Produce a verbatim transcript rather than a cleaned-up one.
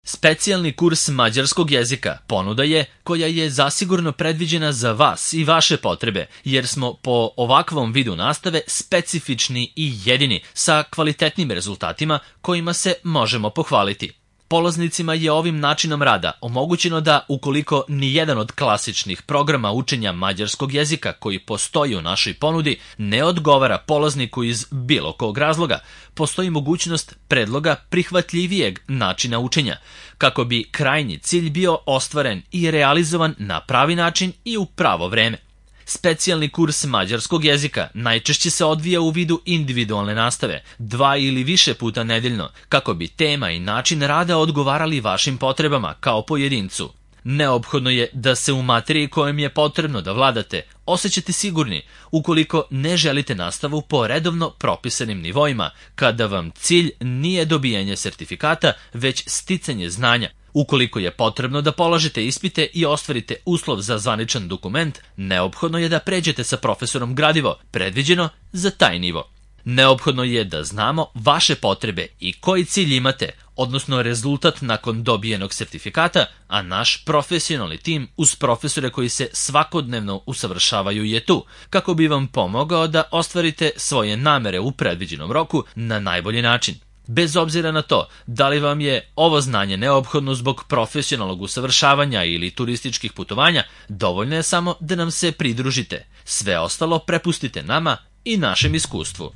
Specijalni kurs mađarskog jezika ponuda je koja je zasigurno predviđena za vas i vaše potrebe, jer smo po ovakvom vidu nastave specifični i jedini sa kvalitetnim rezultatima kojima se možemo pohvaliti. Polaznicima je ovim načinom rada omogućeno da, ukoliko nijedan od klasičnih programa učenja mađarskog jezika koji postoji u našoj ponudi ne odgovara polazniku iz bilo kog razloga, postoji mogućnost predloga prihvatljivijeg načina učenja, kako bi krajnji cilj bio ostvaren i realizovan na pravi način i u pravo vreme. Specijalni kurs mađarskog jezika najčešće se odvija u vidu individualne nastave, dva ili više puta nedeljno, kako bi tema i način rada odgovarali vašim potrebama kao pojedincu. Neophodno je da se u materiji kojom je potrebno da vladate osjećate sigurni ukoliko ne želite nastavu po redovno propisanim nivoima, kada vam cilj nije dobijanje sertifikata, već sticanje znanja. Ukoliko je potrebno da polažete ispite i ostvarite uslov za zvaničan dokument, neophodno je da pređete sa profesorom gradivo, predviđeno za taj nivo. Neophodno je da znamo vaše potrebe i koji cilj imate, odnosno rezultat nakon dobijenog sertifikata, a naš profesionalni tim uz profesore koji se svakodnevno usavršavaju je tu, kako bi vam pomogao da ostvarite svoje namere u predviđenom roku na najbolji način. Bez obzira na to da li vam je ovo znanje neophodno zbog profesionalnog usavršavanja ili turističkih putovanja, dovoljno je samo da nam se pridružite. Sve ostalo prepustite nama i našem iskustvu.